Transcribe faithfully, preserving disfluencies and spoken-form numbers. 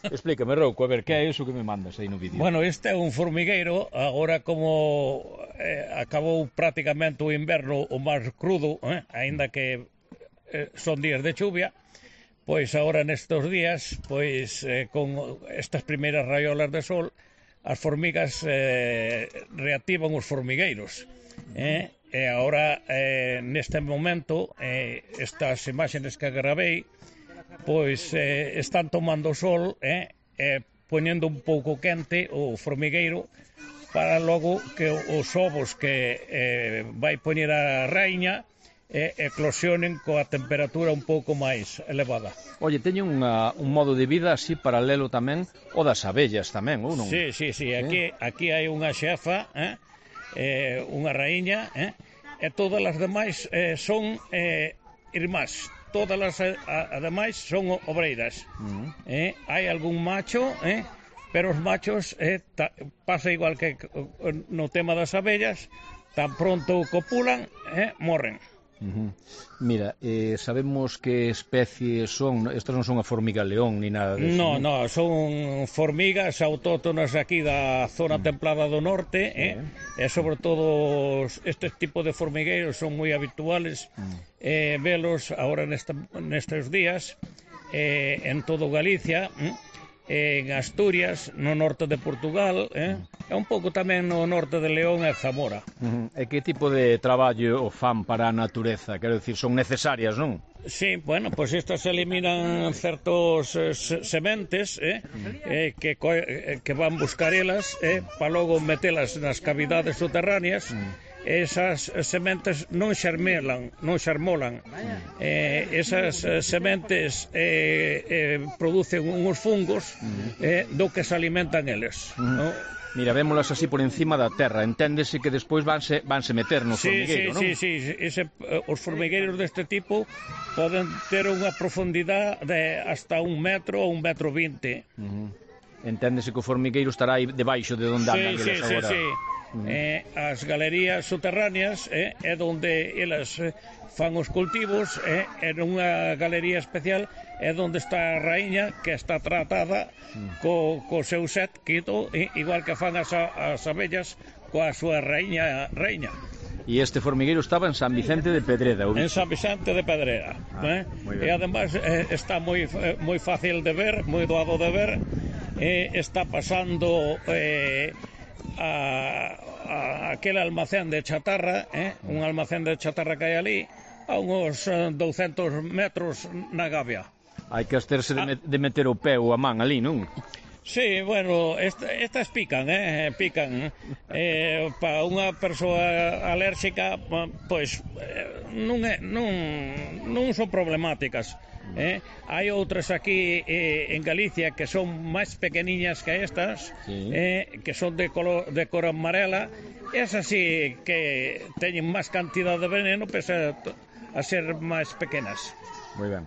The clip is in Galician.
Explícame, Rouco, a ver, que é iso que me mandas aí no vídeo? Bueno, este é un formigueiro, agora como eh, acabou prácticamente o inverno o máis crudo, eh, aínda que eh, son días de chuvia, pois agora nestes días, pois eh, con estas primeiras raiolas de sol, as formigas eh, reactivan os formigueiros, eh, e agora eh, neste momento eh, estas imaxes que gravei pois eh, están tomando sol eh, e poñendo un pouco quente o formigueiro para logo que os ovos que eh, vai poñer a raíña eh, eclosionen coa temperatura un pouco máis elevada. Oye, teñen unha, un modo de vida así paralelo tamén o das abellas tamén, ou non? Sí, sí, sí, aquí, aquí hai unha xefa, eh, eh, unha raíña, eh, e todas as demais eh, son eh, irmás. Todas as ademais son obreiras. Uh-huh. eh, hai algún macho, eh, pero os machos eh, ta, pasa igual que no tema das abellas, tan pronto copulan, eh, morren. Uh-huh. Mira, eh, sabemos que especie son, estas non son a formiga león ni nada de eso. No, no, son formigas autóctonas aquí da zona uh-huh. templada do norte, eh, uh-huh. e sobre todo estes tipos de formigueiros son moi habituales, uh-huh. eh, velos agora nesta, nestes días eh, en todo Galicia, eh, en Asturias, no norte de Portugal, eh, e un pouco tamén no norte de León e Zamora. Uh-huh. E que tipo de traballo fan para a natureza? Quero dicir, son necesarias, non? Sí, bueno, pois pues estas eliminan certos eh, sementes eh, eh, que, eh, que van buscar elas eh, para logo metelas nas cavidades subterráneas. Esas sementes non xermelan, non xermolan. Eh, esas sementes eh, eh, producen uns fungos eh, do que se alimentan eles. Uh-huh. ¿No? Mira, vémolas así por encima da terra. Enténdese que despois vanse, vanse meter no sí, formigueiro, sí, non? Sí, sí, sí. Ese, os formigueiros deste tipo poden ter unha profundidade de hasta un metro ou un metro vinte. Uh-huh. Enténdese que o formigueiro estará aí debaixo de onde andan sí, eles sí, agora. Sí, sí. Uh-huh. eh, as galerías subterráneas eh, é onde elas eh, fan os cultivos, eh, en unha galería especial é onde está a raíña que está tratada uh-huh. co, co seu set quito, eh, igual que fan as, as abellas coa súa raíña, raíña. E este formigueiro estaba en San Vicente de Pedreda, ou? En San Vicente de Pedreda, ah, eh? E además eh, está moi, eh, moi fácil de ver, moi doado de ver, eh, está pasando eh, a, a aquel almacén de chatarra, eh? un almacén de chatarra que hai ali, a uns douscentos metros na Gavia. Hai que absterse de, de meter o pé ou a man ali, non? Sí, bueno, esta, estas pican, eh, pican. Eh, para unha persoa alérxica, pois eh, non, é, non, non son problemáticas. Eh? Hai outras aquí eh, en Galicia que son máis pequeniñas que estas, sí. eh, que son de, color, de cor amarela. Esas sí que teñen máis cantidad de veneno, pese a, a ser máis pequenas. Moi ben.